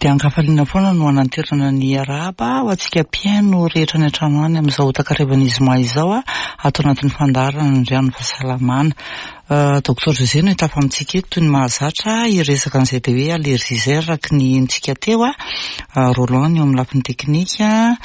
Dia ankafaliana foana no hananterana ny arahaba ho antsika mpihaino rehetra any an-trano any amin'izao takarivan'ny zoma izao ato anatin'ny fandaharana ny Rano Fahasalamana. Docteur José no hitafa amintsika eto toy ny mahazatra hiresaka an'izay dia hoe allergie izay araka ny henontsika teo. Roland ny eo amin'ny lafiny teknika.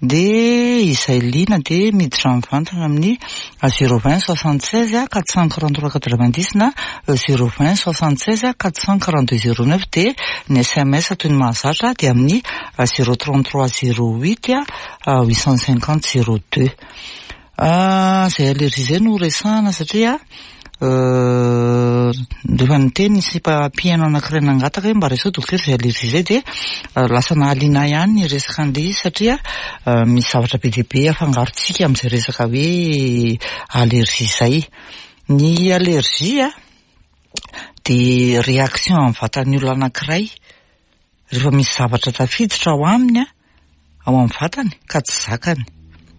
Dia izay liana dia miditra mivantana amin'ny 020 76 443 90 na 020 76 442 09 dia ny sms toy ny mahazatra dia amin'ny 033 08 850 02. Izay allergie izay no resahana satria rehefa niteny ny sipa mpihaino anankiray nangataka hoe mba resaho dokotera izay allergie izay dia lasa nahaliana ahy ihany ny resaka an'ilay izy satria misy zavatra be dia be afangarontsika amin'izay resaka hoe allergie izay. Ny allergie dia réaction amin'ny vatan'ny olona anankiray Rehefa misy zavatra tafiditra ao aminy, ao amin'ny vatany ka tsy zakany.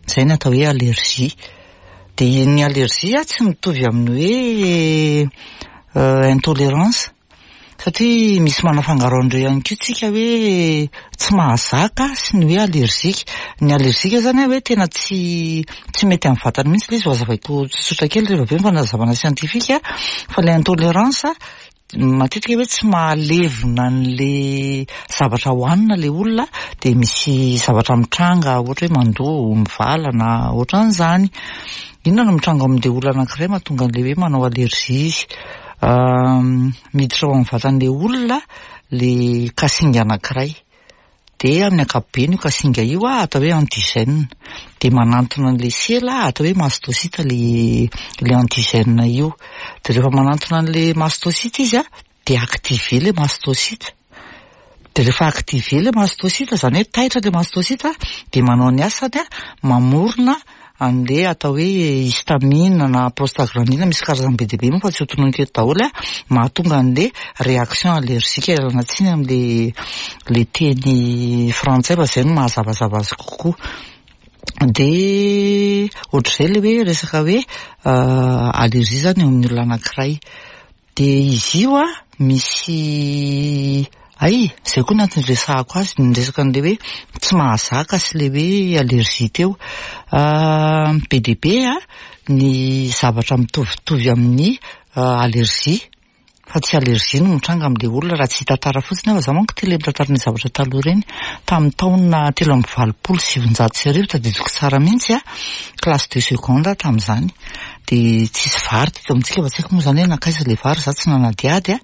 Izay ny atao hoe allergie. Dia ny allergie tsy mitovy amin'ny hoe intolérance satria misy manafangaro an'ireo ihany koa tsika hoe tsy mahazaka sy ny hoe allergique. Ny allergique zany hoe tena tsy tsy mety amin'ny vatany mihitsy ilay izy, ho hazavaiko tsotsotra kely rehefa avy eo ny fanazavana siantifika fa ilay intolérance Matetika hoe tsy mahalevona an'le zavatra hohanina le olona dia misy zavatra mitranga ohatra hoe mandoa, mivalana, ohatran'izany. Inona no mitranga amin'le olona anankiray mahatonga an'le hoe manao allergie izy? Miditra ao amin'ny vatan'le olona le kasinga anankiray. Dia amin'ny ankapobeny io kasinga io atao hoe antigène. Dia manantona an'ilay sela atao hoe mastocyte ilay ilay antigène io. Dia rehefa manantona an'ilay mastocyte izy dia activé ilay mastocyte. Dia rehefa activé ilay mastocyte, izany hoe taitra ilay mastocyte dia manao ny asany mamorona an'le atao hoe histamine na prostaglandine, misy karazany be dia be moa fa tsy ho tononiko eto daholo, mahatonga an'le réaction allergique, ialana tsiny amin'le le teny frantsay fa zay no mahazavazava azy kokoa. Dia ohatr'izay le hoe resaka hoe allergie zany eo amin'ny olona anankiray. Dia izy io an, misy hay, izay koa ny antony iresahako azy, ny resaka an'ilay hoe tsy mahazaka sy ilay hoe allergie teo. Be dia be an, ny zavatra mitovitovy amin'ny allergie, fa tsy allergie no mitranga amin'ilay olona raha tsy hitantara fotsiny aho, fa izaho manko tia ilay mitantara ny zavatra taloha ireny. Tamin'ny taona 1983, tadidiko tsara mihitsy an, classe de seconde aho tamin'izany. Dia tsisy vary teto amintsika fa tsy haiko moa izany hoe nankaiza ilay vary, za tsy nanadihady a.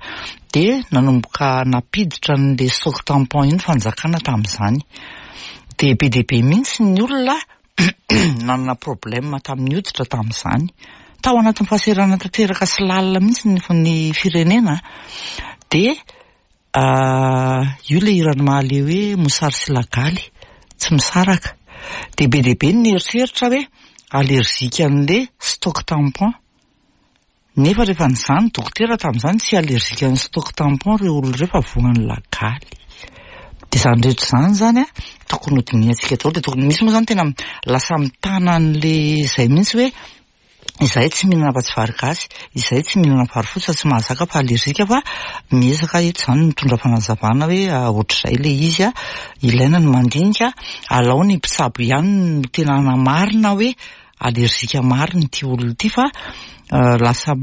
Dia nanomboka nampiditra an'ilay stock tampon iny fanjakana tamin'izany. Dia be dia be mihitsy ny olona nanana problème tamin'ny hoditra tamin'izany. Tao anatin'ny fahasahiranana tanteraka sy lalina mihitsy ny ny firenena. Dia Io ilay hiran'i Mahaleo hoe mosary sy lagaly tsy misaraka. Dia be dia be ny nieritreritra hoe allergique an'ilay stock tampon. Nefa rehefa nizaha ny dokotera tamin'izany tsy allergique an'ny stock tampon ireo olona ireo fa voan'ny lagaly. Dia izany rehetra izany izany an, tokony ho dinihantsika daholo. Dia tokony, misy moa izany tena lasa mitana an'ilay izay mihitsy hoe Izahay tsy mihinana afa-tsy vary gasy, izahay tsy mihinana vary fotsy fa tsy mahazaka fa allergique fa miezaka eto izany mitondra fanazavana hoe ohatr'izay ilay izy, ilaina ny mandinika, alao ny mpitsabo ihany no tena hanamarina hoe allergique marina ity olona ity fa lasa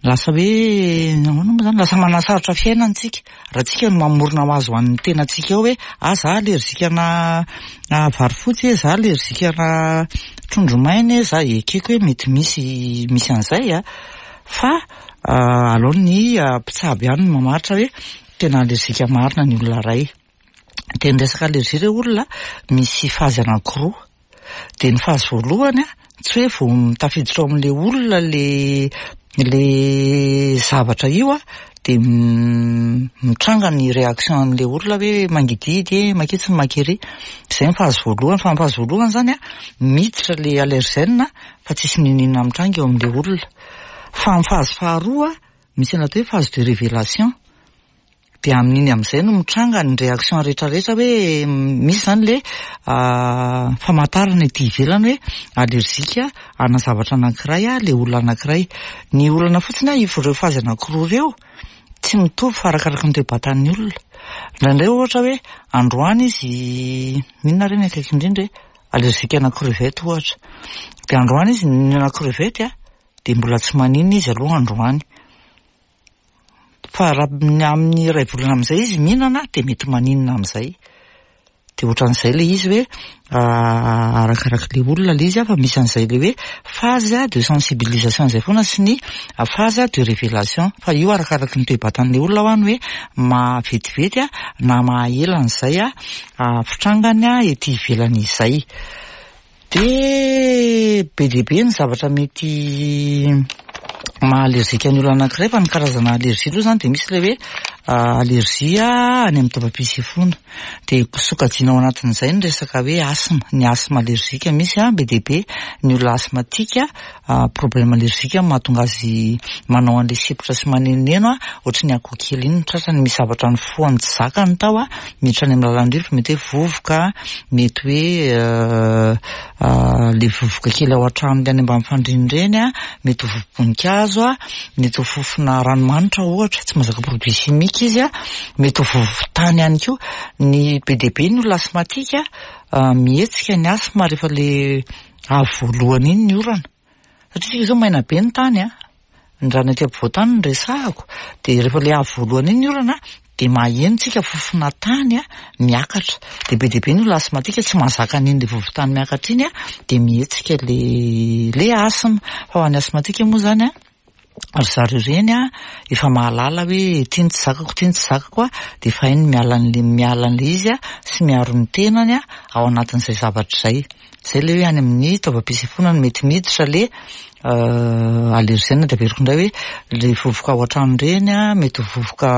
lasa hoe ahoana moa izany, lasa manasarotra fiainana isika. Raha tsika no mamorona ho azy ho an'ny tenantsika eo hoe ah za allergique ana vary fotsy e, za allergique ana trondro maina e, za ekeko hoe mety misy misy an'izay a, fa aleo ny mpitsabo ihany no mamaritra hoe tena allergique marina ny olona iray. Dia ny resaka allergie re olona misy phase anankiroa. Dia ny phase voalohany an, tsy hoe vao tafiditra ao amin'ilay olona ilay ilay zavatra io an, dia mitranga ny réaction an'ilay olona hoe mangidihidy e, maketsy ny makery. Izay ny phase voalohany, fa ny phase voalohany izany an, miditra ilay allergène fa tsisy n'inon'inona mitranga eo amin'ilay olona. Fa ny phase faharoa, misy ny atao hoe phase de révélation. Dia amin'iny amin'izay no mitranga ny réaction rehetra rehetra hoe misy izany le famantarana ety ivelany hoe allergique ana zavatra anankiray le olona anankiray. Ny olana fotsiny an, ireo phase anankiroa ireo. Tsy mitovy fa arakaraky ny toe-batan'ny olona. Indraindray ohatra hoe androany izy, inona re ny akaiky indrindra e? Allergique ana crevette ohatra. Dia androany izy nihinana crevette a, dia mbola tsy maninona izy aloha androany. Fa raha amin'ny iray volana amin'izay izy mihinana dia mety maninona amin'izay. Dia ohatran'izay ilay izy hoe arakarak'ilay olona ilay izy fa misy an'izay ilay hoe phase de sensibilisation izay foana sy ny phase de révélation. Fa io arakaraky ny toe-batan'ilay olona ho'a ny hoe mahavetivety na mahaela an'izay fitrangany ety ivelany izay. Dia be dia be ny zavatra mety maha allergique ny olona anankiray fa ny karazana allergie aloha izany dia misy ilay hoe allergie any amin'ny taovam-pisefoana. Dia sokajiana ao anatin'izay ny resaka hoe asthme, ny asthme allergique misy an, be dia be ny olona asthmatique, problème allergique no mahatonga azy manao an'ilay sepotra sy manenoneno an, ohatry ny akoho kely iny ny tratrany, misy zavatra nifohany tsy zakany tao an, miditra any amin'ny lalan'ny rivotra, mety hoe vovoka, mety hoe le vovoka kely ao an-trano any ambany fandriana ireny an, mety ho vovo-boninkazo an, mety ho fofona ranomanitra ohatra, tsy mahazaka produit chimique izy an, mety ho vovo-tany ihany koa. Ny be dia be ny olona asthmatique mihetsika ny asthme rehefa le avy voalohany iny ny orana. Satria isika izao maina be ny tany an, ny rano ety ampovoan-tany no resahako, dia rehefa ilay avy voalohany iny ny orana dia maheno tsika fofona tany miakatra, dia be dia be ny olona asthmatique tsy mahazaka an'iny ilay vovon-tany miakatra iny dia mihetsika ilay ilay asthme, fa ho an'ny asthmatique moa izany an, ry zareo ireny an efa mahalala hoe ity no tsy zakako, ity no tsy zakako an, dia efa hainy ny miala an'ilay miala an'ilay izy an sy miaro ny tenany an ao anatin'izay zavatra izay. Zay le hoe any amin'ny taovam-pisefoana no mety miditra le allergène de averiko indray hoe le vovoka ao an-trano ireny an, mety ho vovoka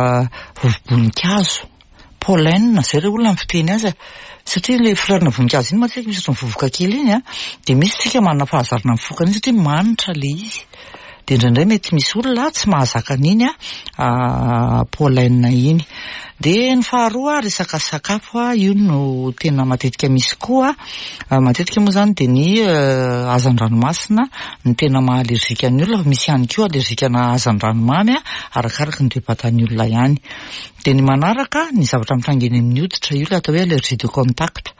vovo-boninkazo, pollen, zay re olona ny fiteny azy e, satria le fleur-na voninkazo iny matetika misy ohatran'ny vovoka kely iny an, de misy tsika manana fahazarana mifoka an'iny satria manitra le izy, de indraindray mety misy olona tsy mahazaka an'iny pollen iny. De ny faharoa resaka sakafo, io no tena matetika misy koa, matetika moa zany de ny hazan-dranomasina no tena maha allergique ny olona fa misy ihany koa allergique ana hazan-dranomamy arakaraky ny toe-batan'ny olona ihany. De ny manaraka ny zavatra mitranga eny amin'ny hoditra, io le atao hoe allergie de contact,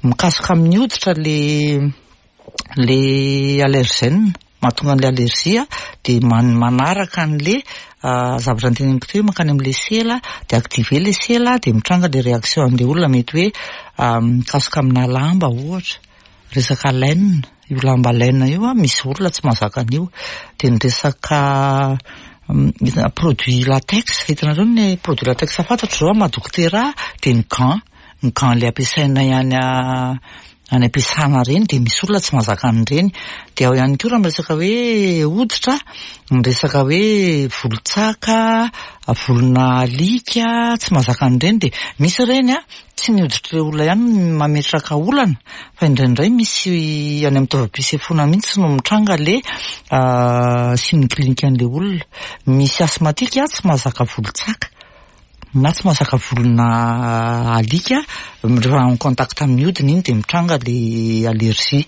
mikasoka amin'ny hoditra le le allergène mahatonga an'ilay allergie dia manaraka an'le zavatra noteneniko teo hoe mankany amin'ilay sela dia activer ilay sela dia mitranga ilay réaction an'ilay olona mety hoe mikasoka amina lamba ohatra, resaka laine, io lamba laine io an misy olona tsy mahazaka an'io, dia ny resaka produit latex, hitanareo ny produit latex fantatro izao amin'ny maha dokotera ahy dia ny gant. Ny gants ilay ampiasainay any any am-piasana ireny dia misy olona tsy mahazaka an'ireny. Dia ao ihany koa raha miresaka hoe hoditra, ny resaka hoe volon-tsaka, volona alika, tsy mahazaka an'ireny dia misy ireny an, tsy ny hoditr'ilay olona ihany no mametraka olana fa indraindray misy any amin'ny taovam-pisefoana mihitsy no mitranga ilay signe clinique an'ilay olona. Misy asthmatique tsy mahazaka volon-tsaka. Na tsy mahazaka volona alika, rehefa en contact amin'ny hodiny iny dia mitranga le allergie.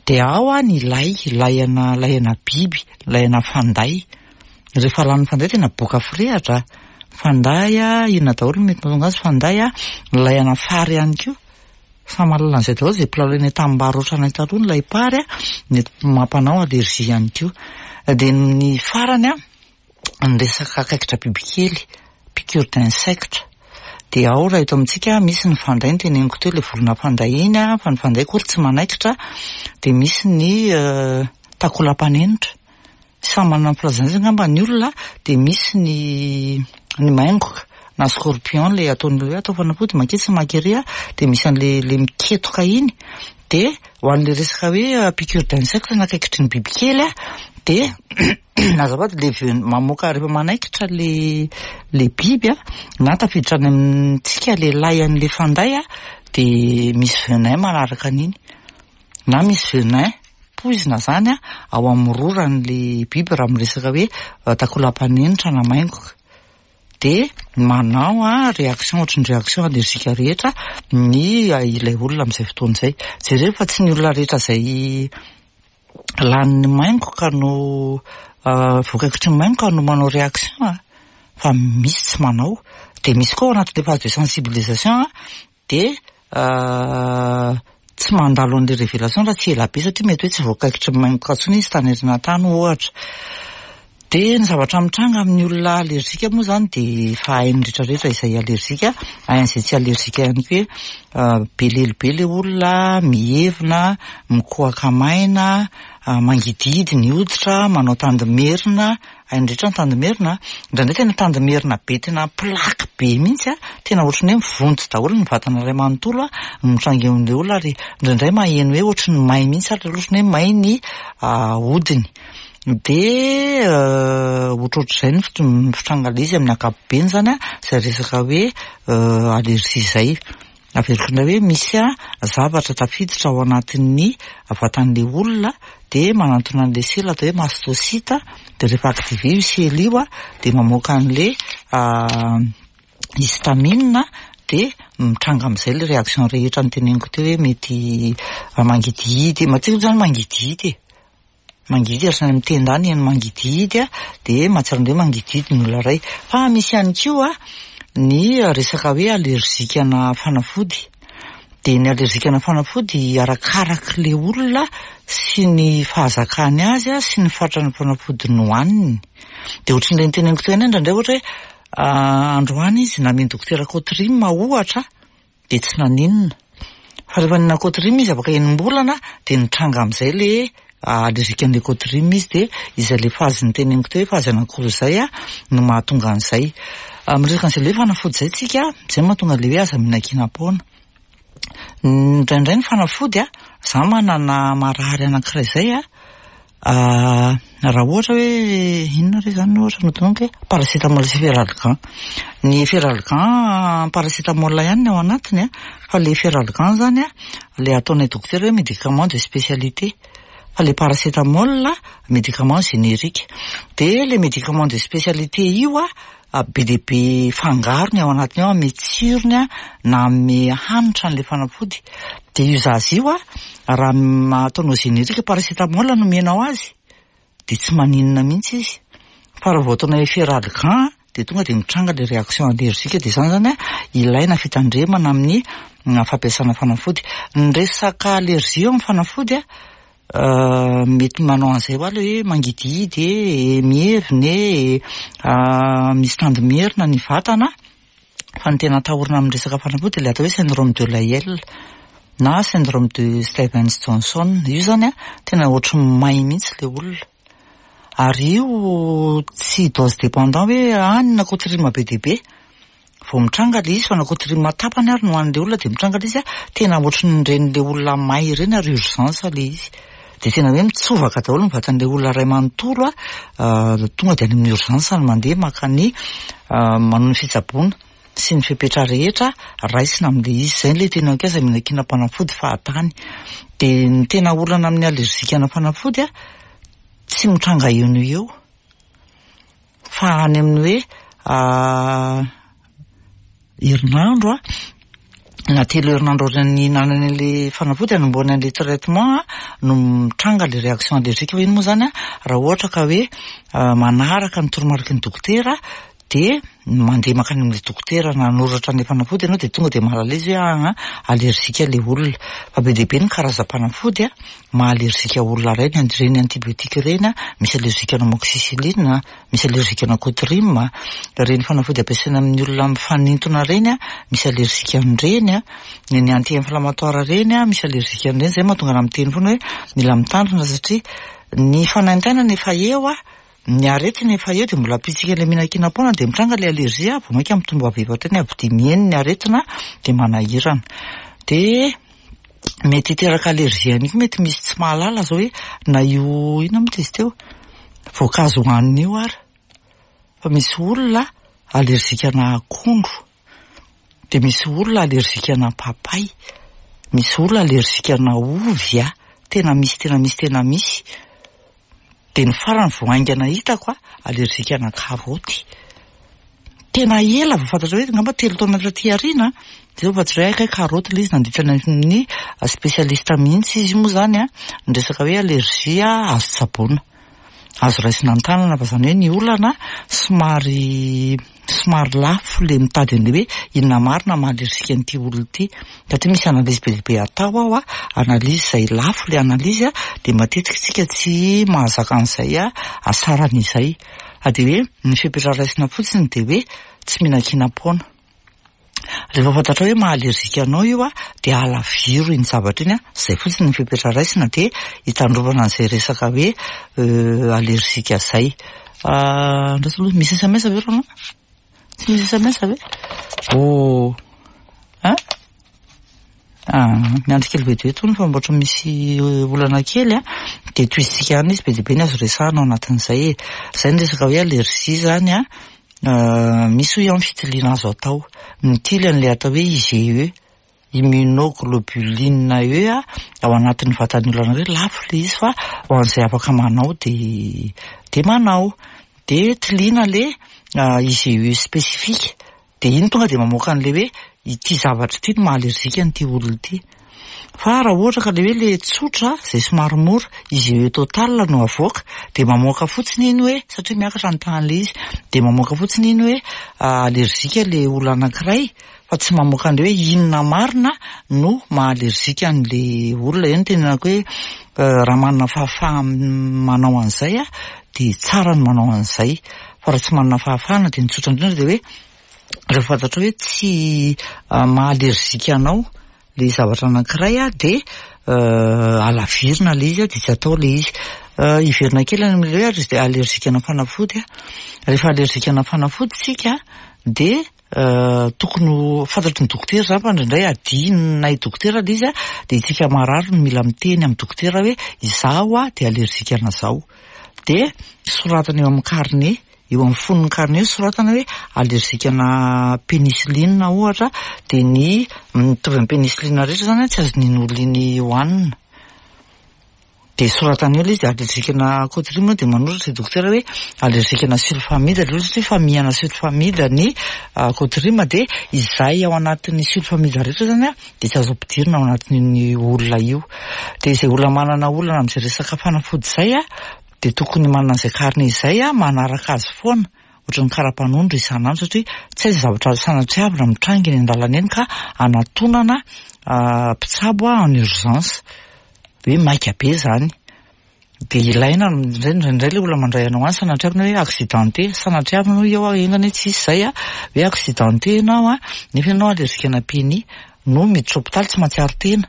Dia ao ny lay, lay ana lay ana biby, lay ana fanday. Rehefa lanin'ny fanday tena boka firehatra. Fanday, inona daholo no mety mahatonga azy fanday, lay ana fary ihany koa. Samy mahalala an'izay daholo izay mpilalao eny an-tanimbary ohatranay taloha ny lay-pary, mety mampanao allergie ihany koa. Dia ny farany an. ny resaka kaikitra bibikely, piqûre d'insecte, dia ao raha eto amintsika misy ny fanday noteneniko teo ilay vorona fanday iny an, fa ny fanday akory tsy manaikitra, dia misy ny takolam-panenitra, samy manana ny filazany azy angamba ny olona, dia misy ny ny maingoka na scorpion ilay ataon'ny olona hoe atao fanafody manketsy mankery an, dia misy an'ilay ilay miketoka iny, dia ho an'ilay resaka hoe piqûre d'insecte na kaikitry ny bibikely an, dia Azafady le ven- mamoaka rehefa manaikitra le le biby a, na tafiditra any amintsika le lay an'le fanday a, de misy venin manaraka an'iny, na misy venin poizina zany a ao amin'ny roran'le biby raha miresaka hoe takolam-panenitra na maingoka, de manao a réaction ohatry ny réaction allergique rehetra ny ilay olona amin'izay fotoana izay. Jereo fa tsy ny olona rehetra izay Lanin'ny maingoka no voakaikitry ny maingoka no manao réaction a! fa misy tsy manao. Dia misy koa ao anatin'ilay phase de sensibilisation dia tsy mandalo an'ilay révélation raha tsy ela be satria mety hoe tsy voakaikitry ny maingoka intsony izy tany aoriana tany ohatra. Dia ny zavatra mitranga amin'ny olona alerzika moa izany dia efa hain'ny rehetra rehetra izay alerzika, hain'izay tsy alerzika ihany koa hoe be lelo be ilay olona, mihevina, mikohaka maina, mangidihidy ny hoditra, manao tandimerina, hain'ny rehetra ny tandimerina an! Indraindray tena tandimerina be tena plaque be mihitsy an, tena ohatran'ny hoe mivonto daholo ny vatana iray manontolo an, no mitranga eo amin'ilay olona ary indraindray maheno hoe ohatran'ny may mihitsy ary ohatran'ny hoe may ny hodiny. Dia ohatrohatr'izay ny fitrangan'ilay izy amin'ny ankapobeny izany an, izay resaka hoe allergie izay. Averiko indray hoe misy zavatra tafiditra ao anatin'ny vatan'ilay olona dia manantona an'ilay sela atao hoe mastocyte, dia rehefa activé io sela io an, dia mamoaka an'ilay histamine dia mitranga amin'izay ilay réaction rehetra noteneniko teo hoe mety mangidihidy, matetika moa izany mangidihidy e. Mangidy ary any amin'ny tenda any ny mangidihidy dia mahatsiaro indray mangidihidy ny olona iray. Fa misy ihany koa ny resaka hoe alerzikana fanafody. Dia ny alerzikana fanafody arakarak'ilay olona sy ny fahazakany azy sy ny fatran'ny fanafody nohaniny. Dia ohatran'ilay noteneniko teo ihany indraindray ohatra hoe androany izy namen'i dokotera Cotrim ohatra. dia tsy naninona. Fa rehefa nihinana Cotrim izy afaka enim-bolana dia nitranga amin'izay le allergique an'le Cotrim izy dia izay le phase niteneniko teo hoe phase anankiroa izay no mahatonga an'izay. Miresaka an'izay le hoe fanafody izay tsika, izay no mahatonga an'le hoe aza mihinan-kinam-poana. Indraindray ny fanafody, za manana marary anankiray izay an, Raha ohatra hoe inona re izany ohatra no tononiko e? Paracétamol sy Feralgan. Ny Feralgan paracétamol ihany ny ao anatiny an, fa ilay Feralgan izany an, ilay ataonay dokotera hoe médicament de spécialité. Fa ilay paracétamol médicament générique. Dia ilay médicament de spécialité io an, be dia be fangarony ao anatiny ao, hanome tsirony na hanome hanitra an'ilay fanafody. Dia io zaza io an, raha ataonao générique paracétamol no omenao azy, dia tsy maninona mihitsy izy. Fa raha vao ataonao efferalgan dia tonga dia mitranga ilay réaction allergique. Dia izany izany an, ilaina fitandremana amin'ny fampiasana fanafody. Ny resaka allergie eo amin'ny fanafody an, Mety manao an'izay hoa ilay hoe mangidihidy e, mihevina e, misy tandimerina ny vatana, fa ny tena atahorana amin'ny resaka fanafody dia ilay atao hoe syndrome de Lyell na syndrome de Stevens Johnson, io izany an tena ohatry ny may mihitsy ilay olona, ary io tsy dose dépendant hoe hanina cotrime be dia be. Vao mitranga ilay izy fa na cotrime tapany ary no hohanin'ilay olona dia mitranga ilay izy tena ohatran'ireny ilay olona may ireny ary urgence ilay izy. Dia tena hoe mitsovaka daholo ny vatan'ilay olona iray manontolo tonga dia any amin'ny urgence no mandeha maka ny manao ny fitsaboana sy ny fepetra rehetra raisina amin'ilay izy. Izay ilay tena hoe aza mihinan-kinam-panafody fahatany. Dia ny tena olana amin'ny allergique-na fanafody tsy mitranga eo no eo. Fa any amin'ny hoe herinandro na telo herinandro aorian'ny nihinanany an'ilay fanafody hanombohany an'ilay traitement no mitranga ilay réaction allergique. Fa iny moa izany raha ohatra ka hoe manaraka ny toromariky ny dokotera dia mandeha mankany amin'ilay dokotera nanoratra an'ilay fanafody ianao dia tonga dia mahalala izy hoe aa allergique ilay olona. Fa be dia be ny karazam-panafody maha allergique olona iray ny ireny antibiotique ireny, misy allergique ana amoxicilline, misy allergique ana cotrim, ireny fanafody ampiasaina amin'ny olona mifanintona ireny, misy allergique an'ireny, ny ny anti-inflammatoire ireny, misy allergique an'ireny, izay mahatonga anah miteny foana hoe mila mitandrina satria ny fanaintainana efa eo, ny aretina efa eo dia mbola ampitsika ilay mihinan-kinam-poana dia mitranga ilay allergie, vao mainka mitombo avy eo hatrany avy dia miheno ny aretina dia manahirana. Dia mety hiteraka allergie ihany koa, mety misy tsy mahalala zao hoe na io inona moa izy teo, voankazo hohanina io ary fa misy olona allergique ana akondro, dia misy olona allergique ana papay, misy olona allergique ana ovy a, tena misy tena misy tena misy. Dia ny farany vao haingana hitako a, allergique ana karaoty. Tena ela vao fantatra hoe angamba telo taona taty aoriana, dia vao fantatra hoe hay kay karaoty ilay izy nandritra ny spécialiste mihitsy izy moa izany a, ny resaka hoe allergie azo tsaboina. azo raisina an-tanana fa izany hoe ny olana somary somary lafo le mitady an'le hoe inona marina maha allergique an'ity olona ity satria misy analyse be dia be atao ao a, analyse izay lafo le analyse a, dia matetika isika tsy mahazaka an'izay asarany izay. Fa dia hoe ny fepetra raisina fotsiny dia hoe tsy mihinan-kinam-poana. Rehefa fantatrao hoe maha allergique anao io a, dia alaviro iny zavatra iny a, izay fotsiny ny fepetra raisina dia hitandrovana an'izay resaka hoe allergique izay. Andraso aloha, misy sms ve Roland? Tsy misy sms ve? Oh! Hein? Ah, miandry kely vetivety hono fa mbola misy olana kely a, dia tohizintsika ihany izy, be dia be ny azo resahana ao anatin'izay e. Izay ny resaka hoe allergie izany a, misy hoy aho ny fitiliana azo atao, mitily an'ilay atao hoe IgE, immunoglobuline E a, ao anatin'ny vatan'ny olona anankiray, lafo ilay izy fa ho an'izay afaka manao dia dia manao, dia tiliana ilay IgE spécifique. Dia iny tonga dia mamoaka an'ilay hoe ity zavatra ity no maha allergique an'ity olona ity. Fa raha ohatra ka ilay hoe ilay tsotra izay somary mora, IgE total no avoaka, dia mamoaka fotsiny iny hoe, satria miakatra ny tahan'ilay izy, dia mamoaka fotsiny iny hoe allergique ilay olona anankiray, fa tsy mamoaka an'ilay hoe inona marina no maha allergique an'ilay olona. Eo no tenenako hoe raha manana fahafaha-manao an'izay dia tsara ny manao an'izay. Fa raha tsy manana fahafahana dia ny tsotra indrindra dia hoe rehefa fantatrao hoe tsy maha allergique anao ilay zavatra anankiray dia alavirina ilay izy dia tsy atao ilay izy. Hiverina kely any amin'ilay hoe allergique ana fanafody. Rehefa allergique ana fanafody isika dia Tokony ho fantatry ny dokotera izany fa indraindray adinonay dokotera ilay izy dia isika marary no mila miteny amin'ny dokotera hoe izaho aho dia allergique an'izao. Dia soratana eo amin'ny carnet, eo amin'ny fonon'ny carnet eo soratana hoe allergique ana pénicilline ohatra dia ny mitovy amin'ny pénicilline rehetra izany tsy azon'iny olona iny hohanina. Dia soratany eo ilay izy allergique ana cotrime dia manoratra i dokotera hoe allergique ana sulfamide ilay olona satria famille-na sulfamide ny cotrime dia izay ao anatin'ny sulfamide rehetra izany an dia tsy azo ampidirina ao anatin'iny olona io. Dia izay olona manana olana amin'izay resaka fanafody izay an dia tokony manana an'izay carnet izay an manaraka azy foana ohatran'ny kara-panondro isan'andro satria tsy aiza zavatra sanatriavina mitranga eny an-dalana eny ka anatonana mpitsabo en urgence. Hoe maika be izany. Dia ilaina indraindray indraindray ilay olona mandray anao any sanatriavina hoe accidenté, sanatriavina hoy aho enga anie tsy hisy izay a, hoe accidenté ianao a, nefa ianao allergique ana peni, no miditra hopitaly tsy mahatsiaro tena,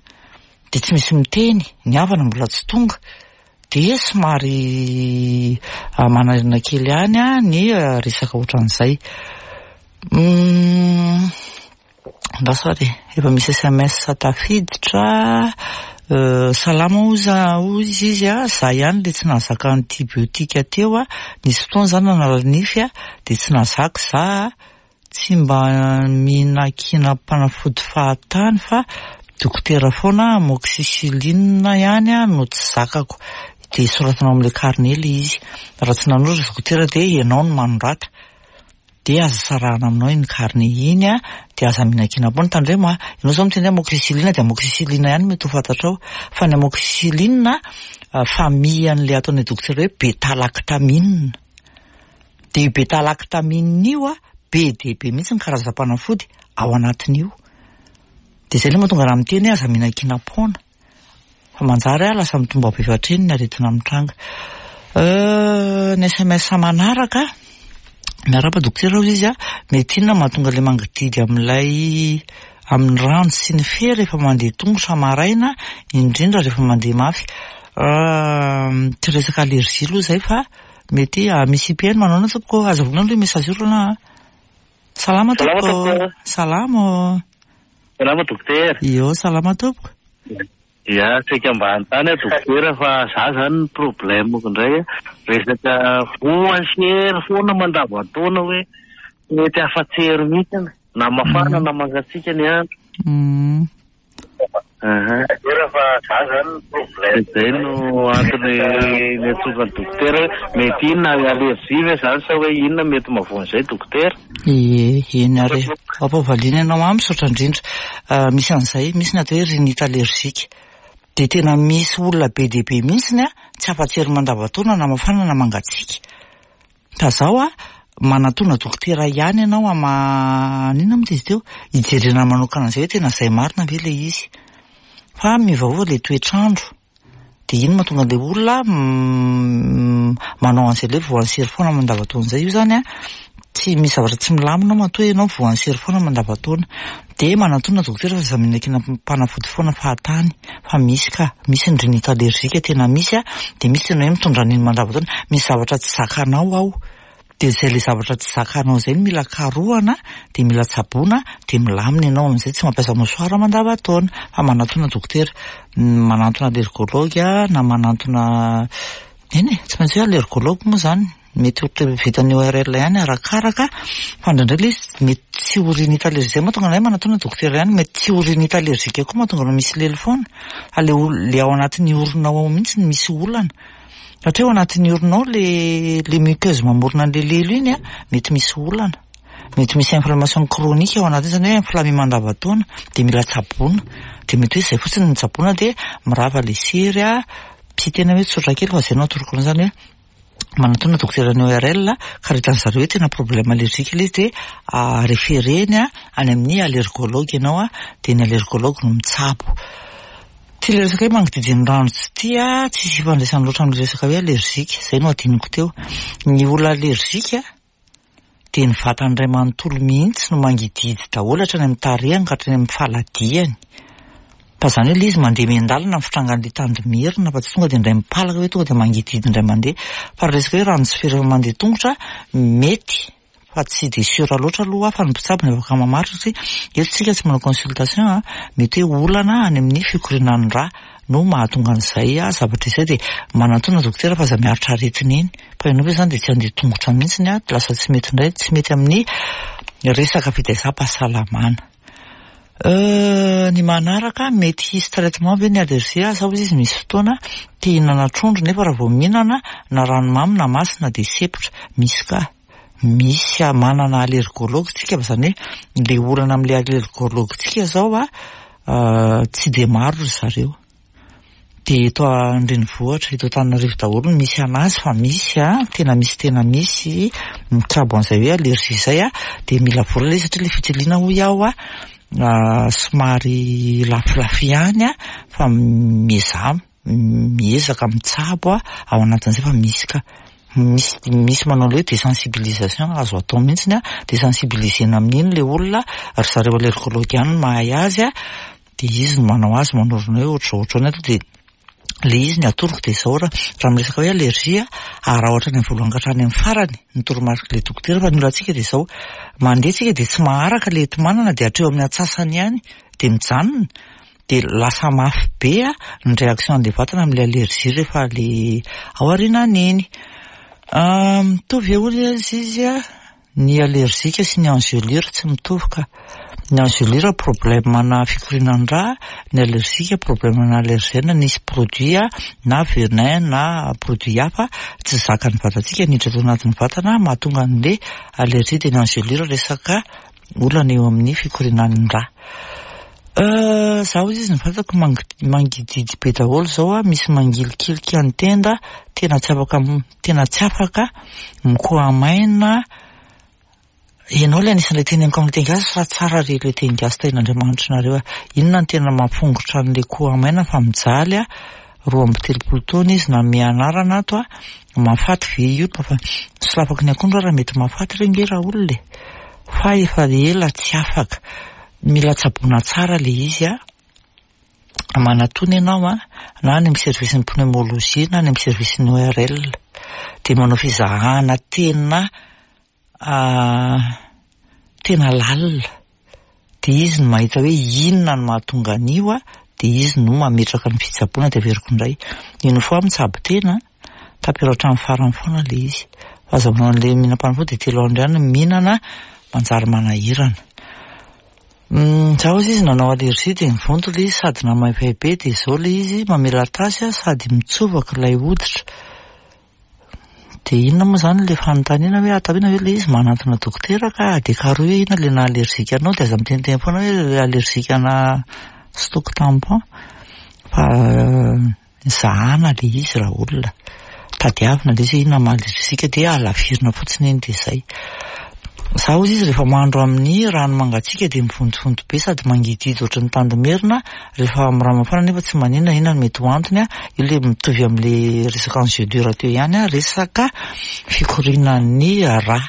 dia tsy misy miteny, ny havana mbola tsy tonga, dia somary manahirana kely ihany ny resaka ohatran'izay. Andraso ary e, efa misy sms tafiditra, salama oza hoy izy a, za ihany le tsy nahazaka antibiotique teo a, nisy fotoana za nanala nify a, de tsy nahazaka za a, tsy mba mihinankinam-panafody fahatany fa dokotera foana amoxicilline ihany no tsy zakako, de soratana ao amle carnet le izy, raha tsy nanoratra dokotera de ianao no manorata. Dia aza sarahana aminao iny carnet iny a, dia aza mihinankinam-poana, tandremo a, ianao izao miteny hoe amoxicilline dia amoxicilline ihany mety ho fantatrao, fa ny amoxicilline famille an'ilay ataon'ny dokotera hoe beta-lactamine, dia io beta-lactamine io a, be dia be mihitsy ny karazam-panafody ao anatin'io, dia izay ilay mahatonga raha miteny hoe aza mihinankinam-poana. Fa manjary ah lasa mitombo avy efa hatreny ny aretina mitranga. Euh, ny sms manaraka, miarahaba dokotera hozy izy ah, mety inona mahatonga ilay mangididy amin'ilay amin'ny ranjo sy ny fe rehefa mandeha tongotra maraina, indrindra rehefa mandeha mafy. Euh, tsy resaka allergie aloha izay fa mety ah, misy IPN manao anao tompoko, aza vonoina aloha io message io aloha. Salama tompoko. Salama ô. Salama dokotera. Io, salama tompoko. Ya, saika mba hanontany aho dokotera fa za zany ny problème-ko indray resaka voa sy hery foana mandavan-taona hoe tsy mety afa-tsy hery mihitsy na mafana na mangatsiaka ny andro. Izay no antony niantsoako an'i dokotera hoe mety inona allergie ve izany sa hoe inona mety mahavoa an'izay dokotera? Ie, eny ary e. Ampavaliana ianao an, misaotra indrindra. Misy an'izay, misy ny atao hoe rhinite allergique. Dia tena misy olona be dia be mihitsiny a, tsy afa-tsery mandavan-taona na mafana na mangatsiaka. Fa zao a, manatona dokotera ihany ianao ama inona moa izy teo, hijerena manokana an'izay hoe tena izay marina ve ilay izy. Fa miovaova ilay toetr'andro. Dia iny mahatonga an'ilay olona manao an'izay ilay voan'ny sery foana mandavan-taona izay. Io izany a, tsy misy zavatra tsy milamina ao matoa ianao voan'ny sery foana mandavan-taona. Dia manatona dokotera fa aza mihinan-kinam-panafody foana fahatany fa misy ka, misy ny rhinite allergique tena misy a, dia misy tena hoe mitondra an'iny mandavan-taona, misy zavatra tsy zakanao ao. Dia izay ilay zavatra tsy zakanao izay no mila karohana, dia mila tsaboina, dia milamina ianao amin'izay, tsy mampiasa mouchoir mandavan-taona fa manatona dokotera, manantona allergologue na manantona, eny e, tsy maintsy hoe allergologue moa izany. Mety ho vitan'ny ORL ihany arakaraka fa indraindray ilay izy mety tsy ho rhinite allergique, izay mahatonga anay manatona dokotera ihany, mety tsy ho rhinite allergique koa mahatonga anao misy lelo foana fa ilay ol- ilay ao anatin'ny orona ao mihitsy no misy olana, satria ao anatin'ny orona ao ilay ilay muqueuse mamorona an'ilay lelo iny an, mety misy olana, mety misy inflammation chronique ao anatiny izany hoe inflammé mandavan-taona dia mila tsaboina, dia mety hoe izay fotsiny no tsaboina dia mirava ilay sery an, tsy tena hoe tsotra kely fa izay no atoroko anao izany hoe manatona dokotera ny ORL ka raha hitan'ny zareo hoe tena problème allergique ilay izy dia référé-ny any amin'ny allergologue ianao dia ny allergologue no mitsabo. Ity ilay resaka hoe mangididy ny rano tsy ity tsisy ifandraisany loatra amin'ilay resaka hoe allergique, izay no adinoko teo. Ny olona allergique dia ny vatany iray manontolo mihitsy no mangidihidy daholo hatrany amin'ny tarehiny ka hatrany amin'ny faladiany. Fa izany hoe ilay izy mandeha miandalana ny fitrangan'ilay tandimerina fa tsy tonga dia indray mipalaka hoe tonga dia mangidihidy indray mandeha. Fa raha resaka hoe rano sy fery mandeha tongotra, mety fa tsy dia sûr loatra aloha aho fa ny mpitsabo no afaka mamaritra satria eto isika tsy manao consultation an, mety hoe olana any amin'ny fikorianan'ny rà no mahatonga an'izay zavatra izay dia manantona dokotera fa aza miaritra aretina eny. Fa ianao ve izany dia tsy handeha tongotra mihitsy an, lasa tsy mety indray, tsy mety amin'ny resaka fitaizam-pahasalamana. Euh, ny manaraka, mety hisy traitement ve ny allergie? Asa hozy izy misy fotoana te hihinana trondro nefa raha vao mihinana na ranomamy na masina dia sempotra. Misy ka. Misy manana allergologue tsika fa izany hoe ilay olana amin'ilay allergologue tsika izao an, tsy dia maro ry zareo. Dia eto an-drenivohitra, eto Antananarivo daholo no misy an'azy fa misy an, tena misy tena misy mitsabo an'izay hoe allergie izay an, dia mila vola ilay izy satria ilay fitiliana hoy aho an, somary lafolafo ihany an, fa miezaha miezaka mitsabo ao anatin'izay fa misy ka. Misy misy manao ilay hoe désensibilisation azo atao mihitsy an, désensibiliser-na amin'iny ilay olona, ry zareo allergologue ihany no mahay azy an, dia izy no manao azy manorina hoe ohatr'izao ohatr'izao ny ato dia ilay izy ny atoroko dia izao raha raha miresaka hoe allergie araho hatrany amin'ny voalohany ka hatrany amin'ny farany ny toromarik'ilay dokotera fa ny olantsika dia izao mandeha tsika dia tsy maharaka ilay enti-manana dia hatreo amin'ny antsasany ihany dia mijanona dia lasa mafy be ny réaction an'ilay vatana amin'ilay allergie rehefa ilay ao aorianany iny. Mitovy eo izy izy Ny allergique sy ny engelure tsy mitovy ka. Ny engelure problème ana fikorianan-drà, ny allergique problème ana allergène nisy produit na venin na produit hafa tsy zakan'ny vatantsika niditra tao anatin'ny vatana mahatonga an'le allergie dia ny engelure resaka olana eo amin'ny fikorianan'ny rà. Za hozy izy ny vatako mangidihidy be daholo zao a, misy mangilikilika ny tenda, tena tsy afaka Tena tsy afaka mikoha-maina Ianao ilay anisan'ilay teneniko amin'ny teny gasy fa tsara re ilay teny gasy tahin'Andriamanitra nareo a. Inona no tena mampongotra an'ilay koha-maina fa mijaly a. 32 taona izy nanome anarana ato a. Mahafaty ve io fa solafako ny akondro ary mety mahafaty re nge raha olona e. Fa efa ela tsy afaka. Mila tsaboina tsara ilay izy a. Manatona ianao an, na any amin'ny service-n'ny pneumologie na any amin'ny service-n'ny ORL. Dia manao fizahana tena tena lalina. Dia izy no mahita hoe inona no mahatonga an'io an, dia izy no mametraka ny fitsaboana dia averiko indray. Une fois mitsabo tena an, tapero hatramin'ny farany foana ilay izy. Fa aza manao an'ilay mihinam-panafody dia telo andro ihany mihinana, manjary manahirana. Za ozy izy nanao allergie dia nivonto ilay izy sady namaivay be dia izao ilay izy mamela tasy sady mitsovaka ilay hoditra. Dia inona moa izany ilay fanontaniana hoe atao inona ve ilay izy manantona dokotera ka dia karohy hoe inona ilay naha allergique anao dia aza miteniteny foana hoe allergique ana stock tampon. Fa zahana le izy raha olona. Tadiavina le izy hoe inona maha allergique dia alavirina fotsiny iny dia izay. Za hozy izy rehefa mandro amin'ny rano mangatsiaka dia mivontovonto be sady mangidihidy ohatry ny tandimerina, rehefa amin'ny rano mafana nefa tsy maninona, inona no mety ho antony a? Io le mitovy amin'le resaka engelure teo ihany a, resaka fikorianan'ny rà.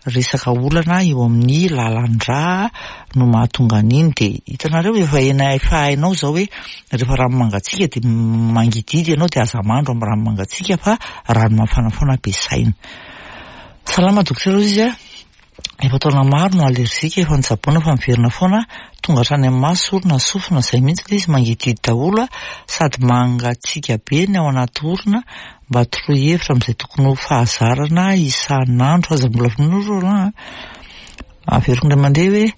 Resaka olana eo amin'ny lalan-drà no mahatonga an'iny dia hitanareo efa ena efa hainao izao hoe rehefa rano mangatsiaka dia mangidihidy ianao dia aza mandro amin'ny rano mangatsiaka fa rano mafana foana ampiasaina. Salama dokotera hoy izy a, efa taona maro no allergique efa nitsaboana fa miverina foana, tonga hatrany amin'ny maso, orona, sofina, izay mihitsy ilay izy mangidihidy daholo a, sady mangatsiaka be ny ao anaty orona, Mba toroy hevitra amin'izay tokony ho fahazarana isan'andro. Aza mbola vonoina ry Roland a. Averiko indray mandeha hoe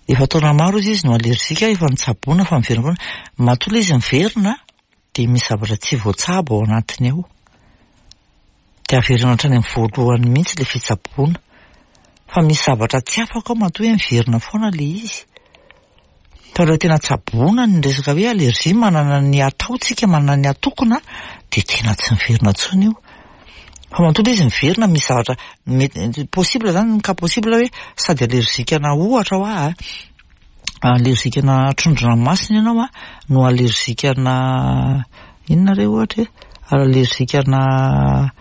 efa taona maro izy izy no allergique, efa nitsaboana fa miverina foana. Matoa ilay izy miverina dia misy zavatra tsy voatsabo ao anatiny ao. Dia averina hatrany amin'ny voalohany mihitsy ilay fitsaboana. Fa misy zavatra tsy afaka ao matoa hoe miverina foana ilay izy. Fa raha tena tsaboina ny resaka hoe allergie, manana ny atao tsika, manana ny atokona, dia tena tsy miverina intsony io. Fa matoa ilay izy miverina misy zavatra mety possible zany, cas possible hoe sady allergique ana ohatra hoa a, allergique ana trondro-dranomasina ianao a, no allergique ana inona re ohatra e, allergique ana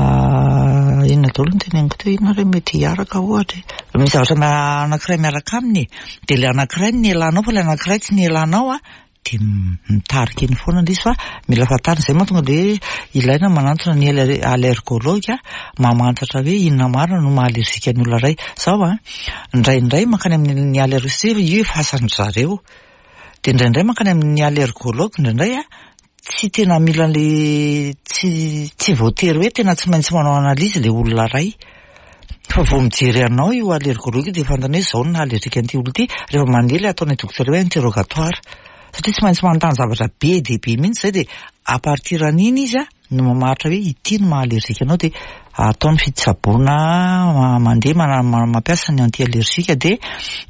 Inona daholo no teneniko teo, inona re mety hiaraka ohatra e? Misy zavatra anankiray miaraka aminy e, dia ilay anankiray no nielanao fa ilay anankiray tsy nielanao an, dia mitarika eny foana ilay izy fa mila fantarina, izay mahatonga ilay hoe ilaina manantona ny allergologue mamantatra hoe inona marina no maha allergique ny olona iray. Izao an, indraindray mankany amin'ny allergologue, io efa asan-dry zareo, dia indraindray mankany amin'ny allergologue indraindray an, Tsy tena mila an'le tsy tsy voatery hoe tena tsy maintsy manao analyse le olona ray. Fa vao mijery anao io allergologue io dia fantany hoe zao no naha allergique an'ity olona ity, rehefa mandeha le ataon'ny dokotera hoe interrogatoire. Satria tsy maintsy manontany zavatra be dia be mihitsy zay dia à partir an'iny izy an, no mamaritra hoe ity no maha allergique anao dia atao ny fitsaboana mandeha mampiasa ny anti allergique dia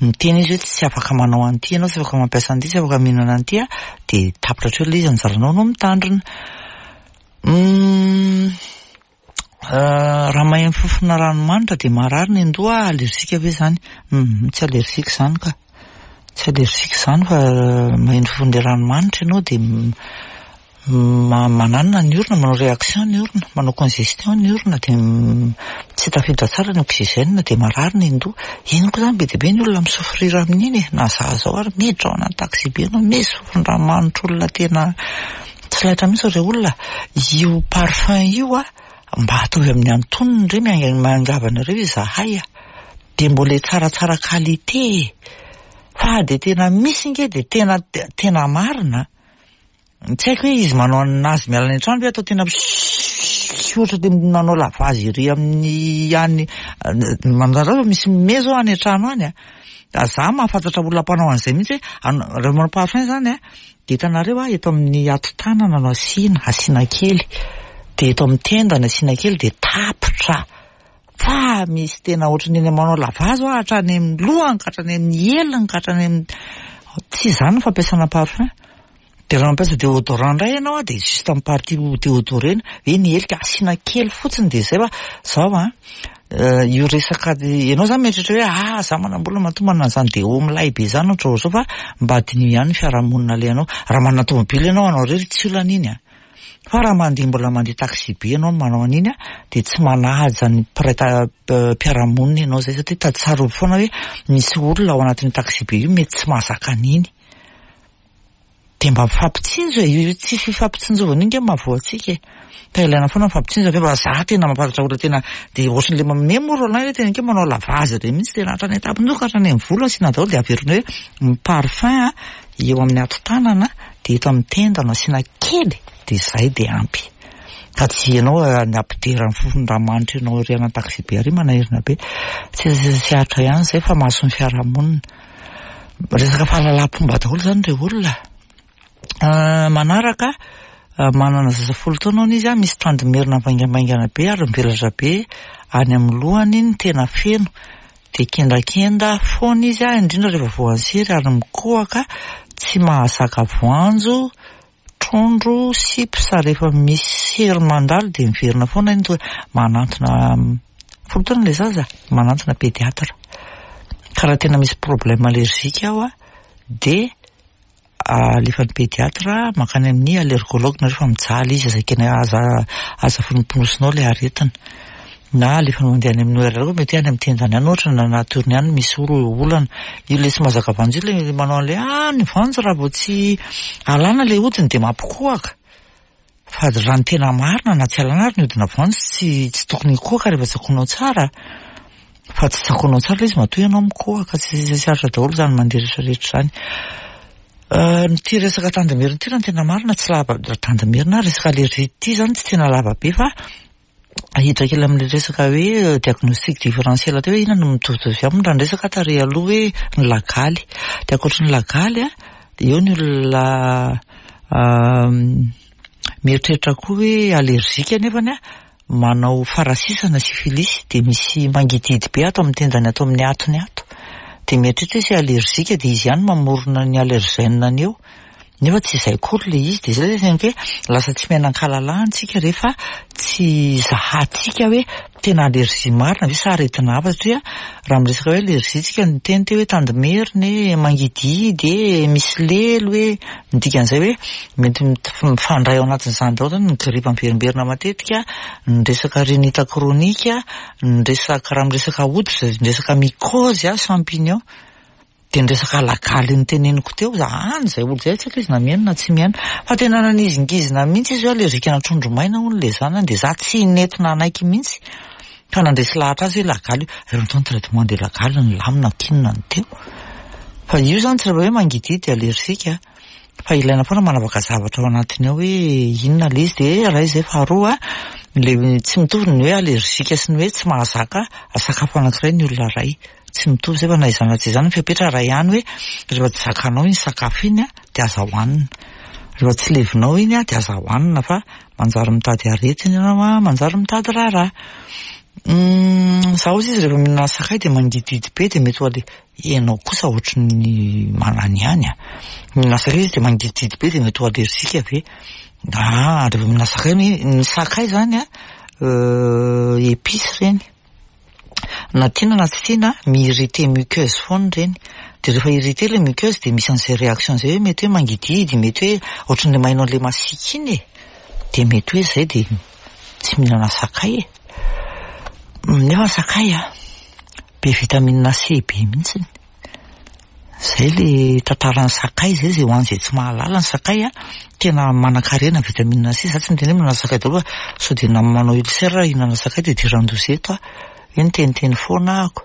miteny izy hoe tsy afaka manao an'ity ianao, tsy afaka mampiasa an'ity, tsy afaka mihinana an'ity an, dia tapitra hatreo ilay izy, anjaranao no mitandrina. Raha maheno fofona ranomanitra dia marary ny an-doha, allergique ve izany? Tsy allergique izany ka. Tsy allergique izany fa maheno fofon'ilay ranomanitra ianao dia Mananona ny orona, manao réaction ny orona, manao congestion ny orona dia tsy tafiditra tsara ny oxygène dia marary ny an-doha. Iny koa izany be dia be ny olona mi-souffrir amin'iny e, na za zao ary miditra ao anaty taxi-be ianao misy fofon-dranomanitra olona tena tsy laitra mihitsy ireo olona. Io parfum io a, mba ataovy amin'ny antonony re, miangavy anareo izahay a, dia mbola tsaratsara qualité e, fa dia tena misy nge dia tena tena marina. Tsy haiko hoe izy manao an'azy miala any an-trano ve atao tena ohatra dia manao lavage ery amin'ny any manareo fa misy mime zao any an-trano any a. Za mahafantatra olona mpanao an'izay mihitsy hoe rehefa manao parfum zany a, dia hitanareo a eto amin'ny hatotanana no asiana, asiana kely, dia eto amin'ny tenda no asiana kely dia tapitra. Fa misy tena ohatran'ny eny manao lavage hoa hatrany amin'ny lohany ka hatrany amin'ny heliny ka hatrany amin'ny tsy izany ny fampiasana parfum. Dia raha mampiasa déodorant indray ianao dia juste amin'ny partie déodorena, hoe ny helika asiana kely fotsiny dia izay fa zao an, io resaka ianao zany mieritreritra hoe ah za manam-bola matoa manana an'izany déo milay be izany ohatra ohatr'izao fa mba diniho ihany ny fiarahamonina alehanao. Raha manana tomobile ianao anao irery tsy olana iny an. Fa raha mandeha mbola mandeha taxi be ianao no manao an'iny an, dia tsy manaja ny mpiray mpiara-monina ianao izay satria tady tsarovy foana hoe misy olona ao anatin'io taxi be io mety tsy mahazaka an'iny. Dia mba mifampitsinjo e, io tsy fifampitsinjovana io ange mahavoa antsika e. Fa ilaina foana mifampitsinjo avy eo fa za tena mahafantatra olona tena dia ohatran'ilay manome moa Roland hoe tena ke manao lavage ireny mihitsy tena hatrany an-tampon-doha ka hatrany amin'ny volo asiana daholo dia averina hoe ny parfum an eo amin'ny hatotanana dia eto amin'ny tenda no asiana kely dia izay dia ampy. Fa tsy ianao ny hampidera ny fofon-dranomanitra ianao ery anaty taxi be ary manahirana be. Tsy tsy aritra ihany izay fa mason'ny fiarahamonina. Resaka fahalalam-pomba daholo izany ireo olona. Manaraka, manana zaza folo taona hono izy, misy tandimerina mivaingambaingana be ary mivelatra be any amin'ny lohany ny tena feno. Dia kendakenda foana izy, indrindra rehefa voan'ny sery ary mikohaka, tsy mahazaka voanjo. trondro, chips, rehefa misy sery mandalo dia miverina foana iny toa manantona folo taona ilay zaza, manantona pédiatre. Ka raha tena misy problème allergique ao a, dia alefan'ny pédiatre mankany amin'ny allergologue nareo fa mijaly izy, aza ekena, aza aza fonoponosinao ilay aretina. Na alefany mandeha any amin'ny ORL koa mety hoe any amin'ny tendany any ohatra na anaty orony any misy olana. Io ilay tsy mahazaka voanjo io ilay manao an'ilay ah ny voanjo raha vao tsy alana ilay hodiny dia mampikohaka. Fa raha ny tena marina na tsy alana ary ny hodina voanjo tsy tsy tokony hikohaka rehefa tsakoinao tsara. Fa tsy tsakoinao tsara ilay izy matoa ianao mikohaka, tsy tsy aritra daholo izany mandeha rehetra rehetra izany. Ity resaka tandimerina ity raha ny tena marina tsy lava, tandimerina resaka allergie ity izany tsy tena lava be fa hiditra kely amin'ilay resaka hoe diagnostic différentiel teo hoe inona no mitovitovy aminy raha niresaka tary aloha hoe ny lagaly. Dia ankoatry ny lagaly a, dia eo ny olona mieritreritra koa hoe allergique nefany a, manao farasisana syphilis dia misy mangidihidy be ato amin'ny tendany ato amin'ny atony ato. Dia mieritreritra hoe c'est allergique dia izy ihany mamorona ny allergène-ny eo. Nefa tsy izay akory ilay izy. Dia izay ilay teneniko hoe lasa tsy miaina an-kalalahana isika rehefa tsy zahantsika hoe tena allergie marina ve sa aretina hafa satria raha miresaka hoe allergie tsika niteny teo hoe tandimerina e, mangidihidy e, misy lelo e, ny dikan'izay hoe mety mifandray ao anatin'izany daholo zany ny gripa miverimberina matetika, ny resaka rhinite chronique, ny resaka raha miresaka hoditra, ny resaka mycose, champignon. Dia ny resaka lagaly noteneniko teo, za any izay olona izay, tsy haiko izy na mihaino na tsy mihaino, fa tena nanizingizina mihitsy izy hoe allergique-na trondro maina hono ilay zanany, dia za tsy nety nanaiky mihitsy, fa nandresy lahatra azy hoe lagaly io, rehefa natao ny traitement dia lagaly nilamina k'inona ny teo. Fa io izany tsy rehefa hoe mangidihidy dia allergique a, fa ilaina foana manavaka zavatra ao anatiny ao hoe inona ilay izy, dia iray izay, faharoa ilay tsy mitovy ny hoe allergique sy ny hoe tsy mahazaka sakafo anankiray ny olona iray. Tsy mitovy izay fa na izany na tsy izany ny fepetra iray ihany hoe rehefa tsy zakanao iny sakafo iny dia aza hohanina. Rehefa tsy levinao iny dia aza hohanina fa manjary mitady aretina ianao, manjary mitady raharaha. Izaho hozy izy rehefa mihinana sakay dia mangidihidy be dia mety ho ale-, ianao kosa ohatry ny mananihany a. Mihinana sakay izy dia mangidihidy be dia mety ho allergique ve? Ah, rehefa mihinana sakay, ny sakay izany a, épice ireny. Na tiana na tsy tiana, mi-irriter muqueuse foana ireny. Dia rehefa irriter ilay muqueuse dia misy an'izay réaction izay hoe mety hoe mangidihidy, mety hoe ohatran'ilay maheno an'ilay masiaka iny e. Dia mety hoe izay dia tsy mihinana sakay e. Nefa ny sakay a, be vitamine C be mihitsy. Zay le tantaran'ny sakay zay, zay ho an'izay tsy mahalala ny sakay a, tena manankarena vitamine C, za tsy miteny hoe mihinana sakay daholo fa sao dia na manao ulcère hihinana sakay dia idiran-doza eto aho, hoe niteniteny foana ahako.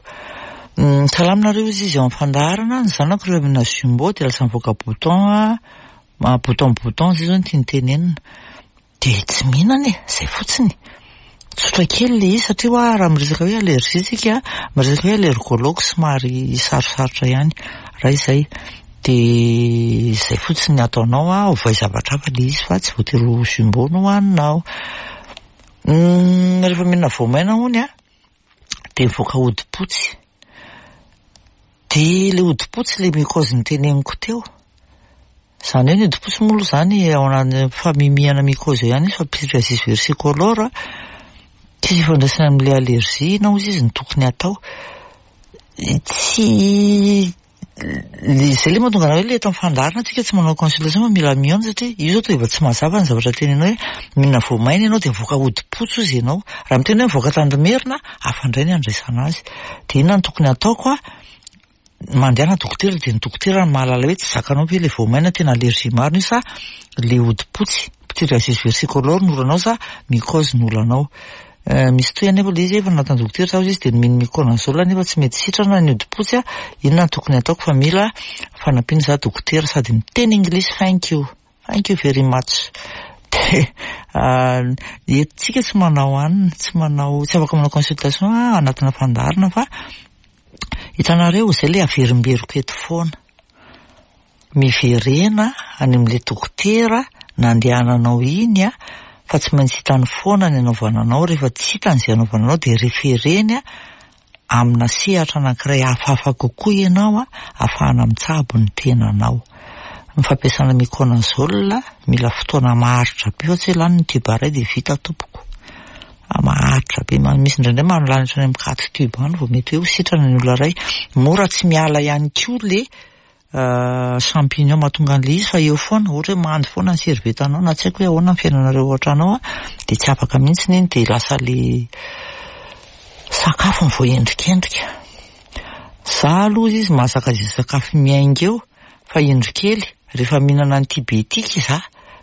Salama nareo hozy izy ao amin'ny fandaharana, ny zanako rehefa mihinana jumbo dia lasa mivoaka bouton, bouton bouton zay zao no tiany tenenina. Dia tsy mihinana e, izay fotsiny. Tsotra kely ilay izy satria hoa raha miresaka hoe allergie isika, miresaka hoe allergologue somary sarosarotra ihany. Raha izay dia izay fotsiny ny ataonao an, ovay zavatra hafa ilay izy fa tsy voatery ho jumbo no hohaninao. Rehefa mihinana voamaina hono an, dia mivoaka hodi-potsy. Dia ilay hodi-potsy ilay mycose noteneniko teo. Izany hoe ny hodi-potsy moa aloha izany ao anatin'ny famimihana mycose eo ihany izy fa pityriasis versicolor tsisy ifandraisany amin'ilay allergie na hozy izy no tokony hatao. Tsy izay ilay mahatonga anah hoe ilay eto amin'ny fandaharana tsika tsy manao consultation fa mila mihaona satria io izao toa efa tsy mazava ny zavatra tenenao hoe mihinana voamaina ianao dia mivoaka hodi-potsy hozy ianao. Raha miteny hoe mivoaka tandimerina, hafa indray ny andraisana azy. Dia inona no tokony hataoko a? Mandehana dokotera dia ny dokotera no mahalala hoe tsy zakanao ve ilay voamaina tena allergie marina io sa ilay hodi-potsy, pityriasis versicolor no olanao sa mycose no olanao. Misy tohiny anefa ilay izy efa natao dokotera zaho izy dia nomeny miconazole nefa tsy mety sitrana ny hodi-potsy a, inona no tokony hataoko fa mila fanampiana za dokotera sady miteny anglisy thank you. Thank you very much. Dia eto tsika tsy manao anona, tsy manao, tsy afaka manao consultation anatina fandaharana fa hitanareo izay ilay averimberiko eto foana. Miverena any amin'ilay dokotera nandehananao iny a, fa tsy maintsy hitany foana ny anaovana anao, rehefa tsy hitany izay anaovana anao dia refereny amina sehatra anankiray hafahafa kokoa ianao ahafahana mitsabo ny tenanao. Ny fampiasana miconazole mila fotoana maharitra be fa tsy hoe lany ny tube iray dia vita tompoko. Maharitra be, misy indraindray lany hatrany amin'ny quatre tube any vao mety hoe ho sitrana ny olona iray. Mora tsy miala ihany koa le champignon mahatonga an'ilay izy fa eo foana, ohatra hoe mando foana ny serviette-nao na tsy haiko hoe ahoana ny fiainanareo ao an-trano ao dia tsy afaka mihitsy iny dia lasa le sakafo no voaendrikendrika. Za aloha izy mahazaka izay sakafo miainga eo fa indro kely rehefa mihinana antibiotique za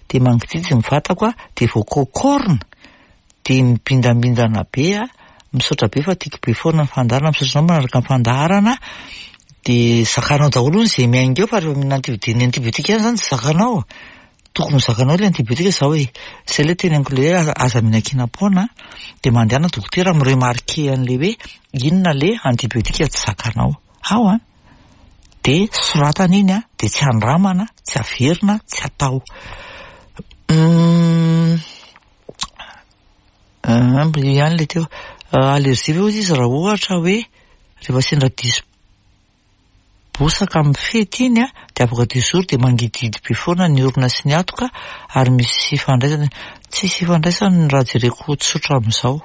dia mangidihidy ny vatako dia voakôkôrina dia mibindambindana be aho. Misaotra be fa tiako be foana ny fandaharana, misaotra anao manaraka ny fandaharana dia zakanao daholo hono izay miainga eo fa rehefa mihinana antibiotique, ny antibiotique ihany izany tsy zakanao, tokony ho zakanao ilay antibiotique zao e, izay ilay teneniko ilay hoe aza mihinan-kinam-poana dia mandehana dokotera mi-remarquer an'ilay hoe inona ilay antibiotique tsy zakanao ao an, dia soratana iny an, dia tsy andramana, tsy averina, tsy atao. Io ihany ilay teo. Allergie ve hozy izy raha ohatra hoe rehefa sendra diso bosaka amin'ny fety iny dia afaka deux jours dia mangidihidy be foana ny orona sy ny hatoka ary misy ifandraisany. Tsisy ifandraisany raha jereko tsotra amin'izao.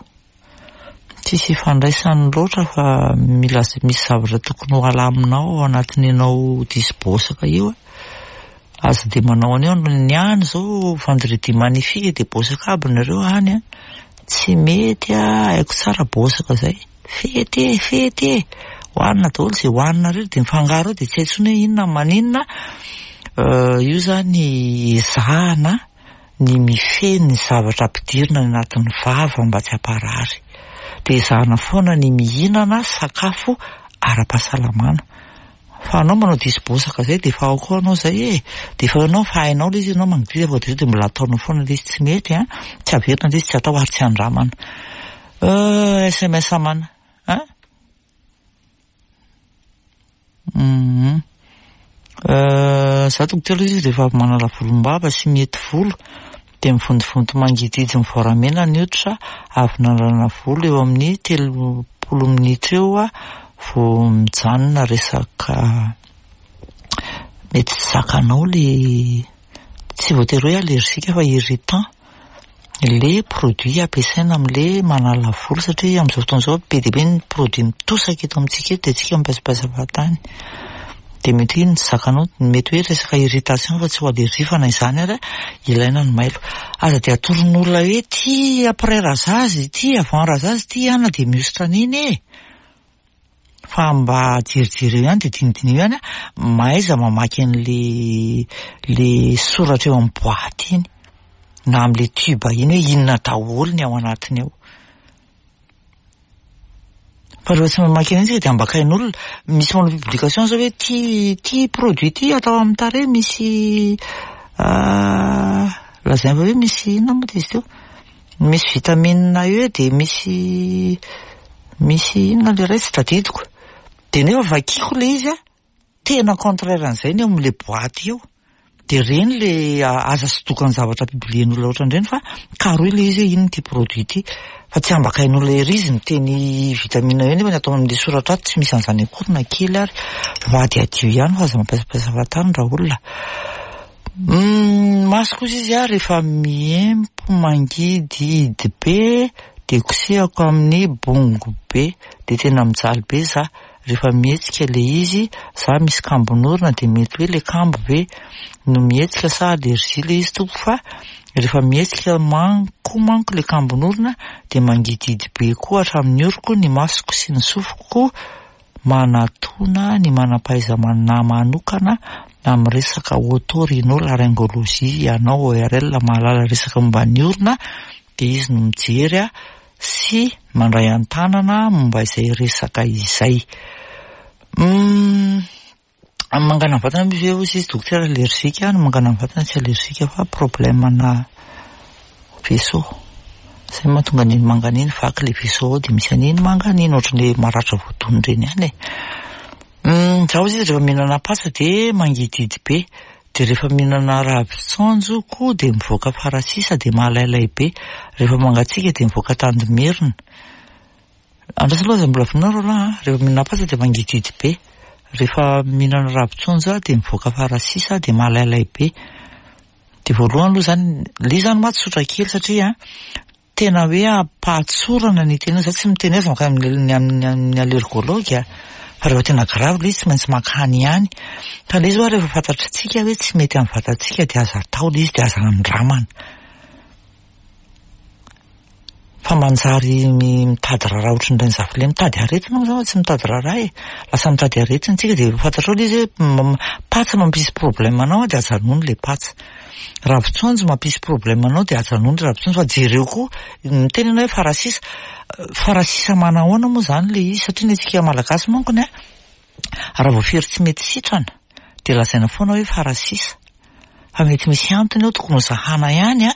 Tsisy ifandraisany loatra fa mila misy zavatra tokony ho alaminao ao anatin'ny ianao diso bosaka io. Aza dia manao an'io ny any izao vendredi magnifique dia bosaka aby nareo any an. Tsy mety a, haiko tsara bosaka zay. Fety e, fety e. Hohanina daholo izay hohaninareo dia mifangaro eo dia tsy hay intsony hoe inona no maninona. Io zany ezahana ny mifehy ny zavatra ampidirina any anatin'ny vava mba tsy hamparary. Dia ezahana foana ny mihinana sakafo ara-pahasalamana. Fa anao manao diso bosaka zay dia efa ao koa anao zay e! Dia efa ianao efa hainao ilay izy ianao mangidihidy efa voadiso dia mbola ataonao foana ilay izy tsy mety an! Tsy averina ilay izy tsy atao ary tsy andramana. Euh sms mana an! Hum euh za dokotera izy rehefa avy manala volombava sy mihety volo dia mivontovonto mangidihidy mivoaramena ny hoditra avy nanalana volo eo amin'ny 30 minitra eo vao mijanona resaka mety tsy zakanao le tsy voatery hoe allergique fa irritant le produit ampiasaina amin'le manala volo satria amin'izao fotoana izao be dia be ny produit mitosaka eto amintsika eto dia tsika mipaisapaisa fahatany dia mety hoe ny tsy zakanao mety hoe resaka irritation fa tsy ho allergie fa na izany ary ilaina ny mailo. Aza dia atoron'olona hoe ity après rasage ity avant rasage ity ana dia mihosotra an'iny e. Fa mba jerijereo ihany dia dinidiniho ihany mahaiza mamaky an'le le soratra eo amin'ny boaty iny na amin'le tube iny hoe inona daholo ny ao anatiny ao. Fa rehefa tsy mamaky an'iny tsika dia ambakain'olona. Misy manao publication zao hoe ty ty produit ty atao amin'ny tarehy misy lazaina fa hoe misy inona moa izy teo? Misy vitamine E dia misy misy inona ilay iray tsy tadidiko. Dia nefa vakiko ilay izy an, tena contraire an'izay ny eo amin'ilay boaty eo. Dia ireny ilay aza sodokan'ny zavatra publier-n'olona ohatran'ireny fa karohy ilay izy hoe inona ity produit ity. Fa tsy ambakain'olona ery izy miteny vitamine E nefa ny atao amin'ilay soratra ato tsy misy an'izany akory na kely ary. Mba adiadio ihany fa aza mampiasampiasa fahatany raolona. Maso kosa izy ah rehefa miempo mangidihidy be dia kosehako amin'ny bongo be dia tena mijaly be za rehefa mihetsika le izy, za misy kambon'orona dia mety hoe le kambo ve no mihetsika sa allergie le izy tompoko fa rehefa mihetsika manko manko le kambon'orona dia mangidihidy be koa hatramin'ny oroko ny masoko sy ny sofiko Manatona ny manam-pahaizamana manokana amin'ny resaka oto-rhino-laryngologie ianao, ORL, mahalala resaka momba ny orona dia izy no mijery sy mandray an-tanana momba izay resaka izay. Ny mangana vatana moa ve hozy izy dokotera allergique, ny mangana vatana tsy allergique fa problème ana vaisseau. Zay mahatonga an'iny mangana iny, vaky le vaisseau ao dia misy an'iny mangana iny, ohatran'ny hoe maratra voadona ireny ihany e. Za hozy izy rehefa mihinana patsa dia mangidihidy be, dia rehefa mihinana ravin-tsaonjo koa dia mivoaka farasisa dia malailay be, rehefa mangatsiaka dia mivoaka tandimerina. Andraso aloha aza mbola vonona Roland a! Rehefa mihinana patsa dia mangidihidy be. Rehefa mihinana ravin-tsonjo aho dia mivoaka farasisa dia malailay be. Dia voalohany aloha izany, ilay izy izany mantsy tsotra kely satria tena hoe am-pahatsorana ny tena, za tsy miteny azy mankany amin'ny amin'ny allergologue fa rehefa tena grave ilay izy tsy maintsy mankany ihany. Fa ilay izy hoa rehefa fantatritsika hoe tsy mety amin'ny vatantsika dia aza atao ilay izy dia aza andramana. Fa manjary mitady raharaha ohatran'ireny zafy ilay mitady aretina moa zany fa tsy mitady raharaha e. Lasa mitady aretina tsika dia fantatrao ilay izy hoe patsa mampisy problème anao dia ajanony ilay patsa. Ravin-tsonjo mampisy problème anao dia ajanony ilay ravin-tsonjo fa jereo koa, miteny ianao hoe farasisa, farasisa manahoana moa izany ilay izy satria ny antsika malagasy mankony an, raha vao fery tsy mety sitrana dia lazaina foana hoe farasisa. Fa mety misy antony eo tokony ho zahana ihany a,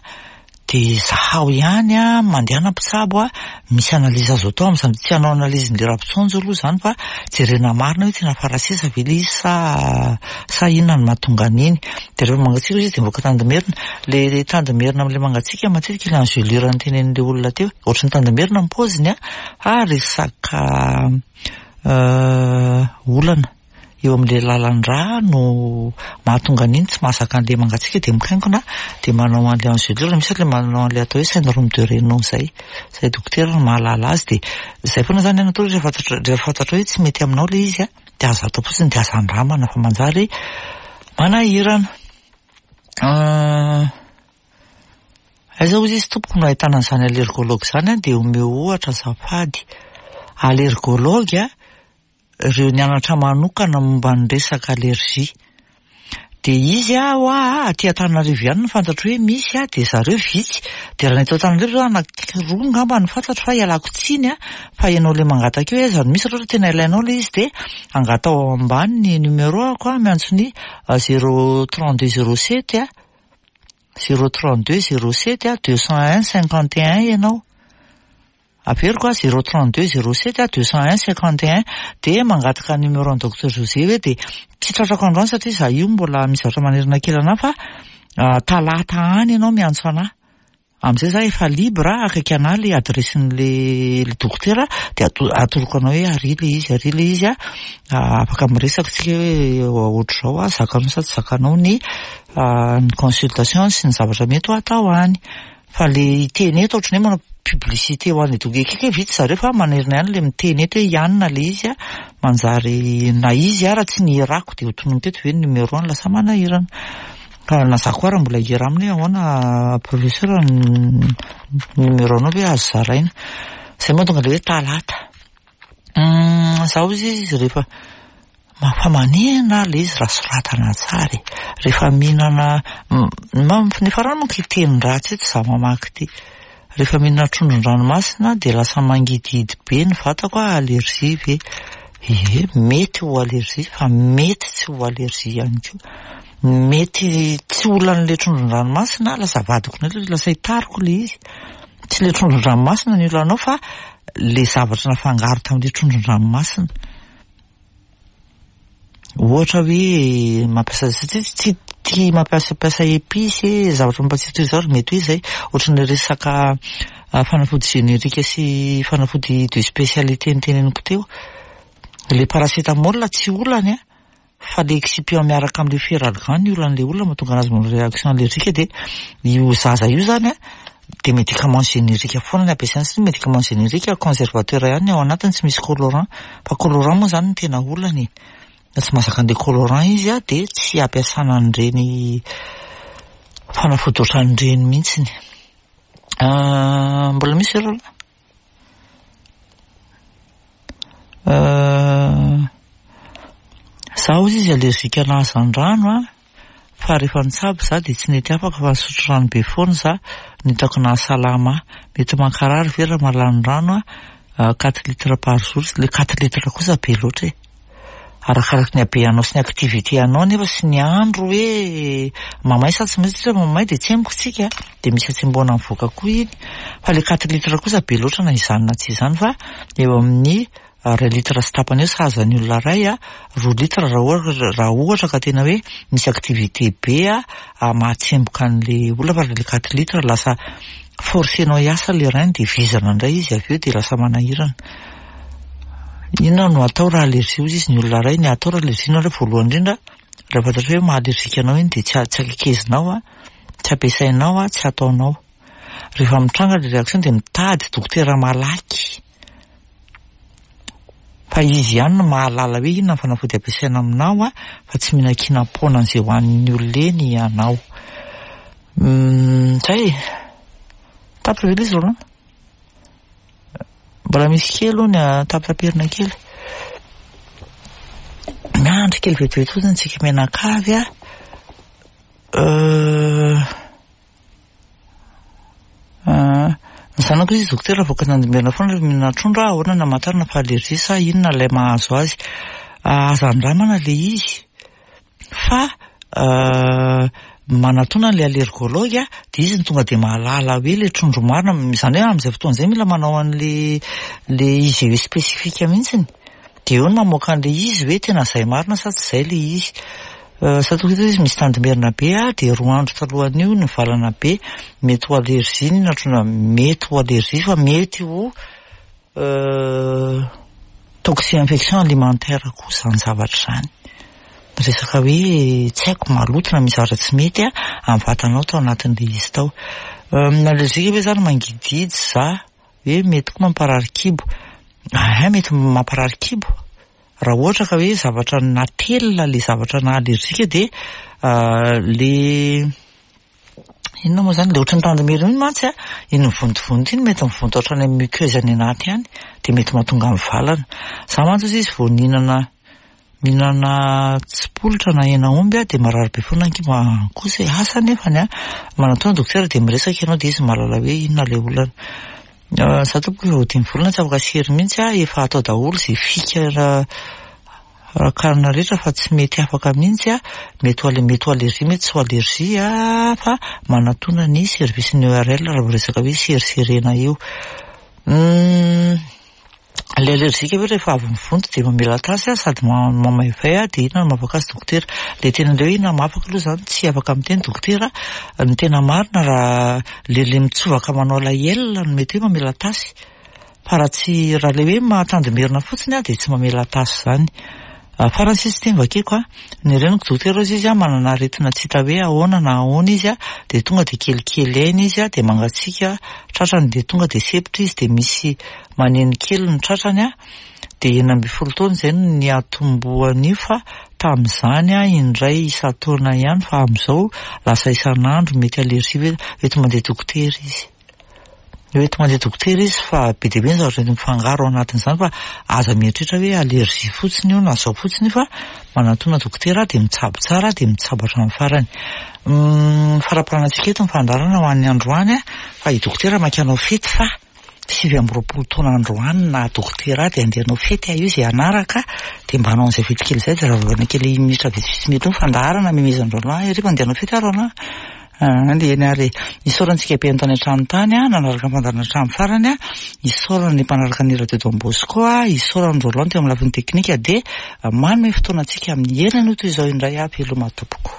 dia zahao ihany a, mandehana mpitsabo a, misy analyse azo atao amin'izany, tsy hanao analyse ny ravin-tsonjo aloha izany fa jerena marina hoe tena farasisa ve ilay izy sa sa inona no mahatonga an'iny. Dia rehefa mangatsiaka izy dia mivoaka tandimerina, ilay tandimerina amin'ilay mangatsiaka matetika ilay engelure notenenin'ilay olona teo, ohatran'ny tandimerina ny paoziny a, fa resaka olana. eo amin'ilay lalan-drà no mahatonga an'iny tsy mahazaka an'ilay mangatsiaka dia mikainkona dia manao an'ilay engelure, misy ilay manao an'ilay atao hoe syndrome de Raynaud izay, izay dokotera no mahalala azy dia izay foana izany ny atao rehefa fantatra rehefa fantatrao hoe tsy mety aminao ilay izy an, dia aza atao fotsiny dia aza andramana fa manjary manahirana. Aiza hozy izy tompoko no ahitana an'izany allergologue izany an, dia omeo ohatra azafady. Allergologue an, ireo nianatra manokana momba ny resaka allergie. Dia izy aho hoa aty Antananarivo ihany no fantatro hoe misy a, dia zareo vitsy. Dia raha ny eto Antananarivo zao anakiroa angamba no fantatro fa ialako tsiny a, fa ianao ilay mangataka eo aiza no misy raha ohatra tena ilainao ilay izy dia angataho ao ambany ny numéro-ako a, miantso ny zéro 32 07 a, zéro 32 07 a, 201 51 ianao. Averiko a, zéro 32 07 a, 201 51, dia mangataka numéro an'i Docteur José hoe dia tsy tratrako androany satria za io mbola misy zavatra manerana kely anah fa talata any ianao miantso anah. Amin'izay za efa libre akaiky anah le adresse-n'le le dokotera dia atoroko anao hoe ary le izy, ary le izy a, afaka miresaka tsika hoe ohatr'izao a, zakanao sa tsy zakanao ny ny consultation sy ny zavatra mety ho atao any. Fa le hiteny eto ohatran'ny hoe manao publicité ho an'i Doug Ekeka hoe vitsy zareo fa manerina ihany le miteny eto hoe i anona le izy a, manjary na izy ara tsy nihirako dia ho tononiko eto ve ny numéro-ny lasa manahirana. Fa na za koa ara mbola hihira aminy hoe ahoana professeur ny numéro-nao ve azo zaraina. Zay mahatonga le hoe talata. Za hozy izy rehefa fa manina le izy raha soratana tsara e. Rehefa mihinana nefa raha manko hiteny ratsy eto za mamaky ity. Rehefa mihinana trondron-dranomasina dia lasa mangidihidy be ny vatako ah, allergie ve? Ie, mety ho allergie fa mety tsy ho allergie ihany koa. Mety tsy olan'ilay trondron-dranomasina, lasa avadiko indray, lasa hitariko ilay izy. Tsy ilay trondron-dranomasina ny olanao fa ilay zavatra nafangaro tamin'ilay trondron-dranomasina. Ohatra hoe mampiasa satria tsy tia mampiasampiasa épices e, zavatra mampatsiro toy izao ary mety hoe izay. Ohatran'ilay resaka fanafody générique sy fanafody de spécialité noteneniko teo. Ilay paracétamol tsy olana an, fa le excipient miaraka amin'ilay feralgan ny olan'ilay olona mahatonga anazy manao réaction allergique dia io zaza io zany an, dia médicament générique foana ny ampiasaina satria médicament générique conservateur ihany ny ao anatiny tsy misy colorant fa colorant moa zany no tena olana e, na tsy mahazaka an'ilay colorant izy an dia tsy ampiasana an'ireny fanafody ohatran'ireny mihitsiny. Mbola misy ve Roland? Za hozy izy allergique ana hazandrano a, fa rehefa nitsabo za dia tsy nety afaka fa nisotro rano be foana za, no hitako nahasalama ahy. Mety mankarary ve raha mahalany rano a, quatre litres par jour, le quatre litres kosa be loatra e. Arakaraky ny habeanao sy ny activité anao nefa sy ny andro hoe mamay sa tsy mamay satria raha mamay dia tsemboka tsika dia misy hatsembohana mivoaka koa iny. Fa le quatre litres kosa be loatra na izany na tsy izany fa eo amin'ny iray litre sy tapany eo sahaza ny olona iray a, roa litre raha ohatra, raha ohatra ka tena hoe misy activité be a, mahatsemboka an'le olona fa le quatre litres lasa forcenao hiasa le rein dia vizana indray izy avy eo dia lasa manahirana. Inona no atao raha allergie hozy izy ny olona iray, ny atao raha allergie nareo voalohany indrindra raha fantatrao hoe maha allergique anao iny dia tsy tsy akekezinao an, tsy ampiasainao an, tsy ataonao. Rehefa mitranga ilay réaction dia mitady dokotera malaky fa izy ihany no mahalala hoe inona ny fanafody ampiasaina aminao an, fa tsy mihinan-kinam-poana an'izay hohanin'ny olona eny ianao. Zay e! Tapitra ve ilay izy Roland? Mbola misy kely hono a, tapitaperina kely. Miandry kely vetivety fotsiny tsika mianakavy a. Euh, ah, ny zanako izy dokotera avoaka nandimerina foana rehefa mihinana trondro aho, ahoana no hamantarana fa allergie sa inona ilay mahazo azy? Ah, aza andramana ilay izy. Fa manatona an'ilay allergologue dia izy no tonga dia mahalala hoe ilay trondro marina, izany hoe amin'izay fotoana izay mila manao an'ilay ilay IGE spécifique mihitsiny, dia eo no mamoaka an'ilay izy hoe tena izay marina sa tsy izay ilay izy. Za tonga eto izy misy tandimerina be dia roa andro talohan'io nivalana be, mety ho allergie ny nahatrondro, mety ho allergie fa mety ho Toxi-infection alimentaire koa izany zavatra izany. Resaka hoe tsy haiko maloto na misy zavatra tsy mety amin'ny vatanao tao anatin'ilay izy tao. Allergique ve izany mangidihidy za? Hoe mety koa mamparary kibo. Ahay mety mamparary kibo. Raha ohatra ka hoe zavatra natelina ilay zavatra naha allergique dia le Inona moa izany, ilay ohatran'ny tandimerina iny mantsy an, iny mivontovonto iny mety mivonto hatrany amin'ny muqueuse any anaty any, dia mety mahatonga mivalana. Izaho mantsy hozy izy vao nihinana mihinana tsipolitra na hena omby aho dia marary be foana ny kibo, ah kosa e, asa anefany an, manatona dokotera dia miresaka ianao dia izy mahalala hoe inona ilay olana. Izaho tompoko efa ho dimy volana tsy afaka sery mihitsy aho, efa atao daholo izay fika Rakarina rehetra fa tsy mety afaka mihitsy a, mety ho mety ho allergie mety tsy ho allergie a, fa manatona ny service ny ERL raha vao resaka hoe seriserena io. Humm ilay allergique ve rehefa avy mivonto dia mamela tasy a, sady mamaivay a, dia inona no mahafaka azy dokotera? Ilay tena ilay hoe inona mahafaka aloha izany tsy afaka miteny dokotera, ny tena marina raha ilay ilay mitsovaka manao ilay L no mety hoe mamela tasy. Fa raha tsy, raha ilay hoe mahatandimerina fotsiny aho dia tsy mamela tasy izany. Farany sisa ity no vakiko a, ny reniko dokotera hozy izy a, manana aretina tsy hita hoe ahoana na ahoana izy a, dia tonga dia kelikely aina izy a, dia mangatsiaka tratrany dia tonga dia sempotra izy dia misy maneno kely ny tratrany a, dia 16 taona izay no niatombohan'io fa tamin'izany a indray isan-taona ihany fa amin'izao lasa isan'andro, mety allergie ve, eto mandeha dokotera izy. Hoe tonga dia dokotera izy fa be dia be ny zavatra mety mifangaro ao anatin'izany fa aza mieritreritra hoe allergie fotsiny io na zao fotsiny io fa manatona dokotera dia mitsabo tsara dia mitsabo hatramin'ny farany. Faramparanantsika eto ny fandaharana ho an'ny androany fa i dokotera maika hanao fety fa 29 taona androany na dokotera dia andeha hanao fety aho io izay hanaraka dia mba hanao an'izay fety kely izay dia raha vao kely minitra vitsivitsy mety eo ny fandaharana memezan-dRoland ahy ery fa andeha hanao fety aho Roland. Aa dia eny ary e. Isaorana antsika be tany an-trano tany a, nanaraka ny fandaharana hatramin'ny farany a. Isaorana ny mpanaraka ny Radio Don Bosco a, isaorana an'i Roland teo amin'ny lafiny teknika dia manome fotoana antsika amin'ny herinanio toy izao indray aho veloma tompoko.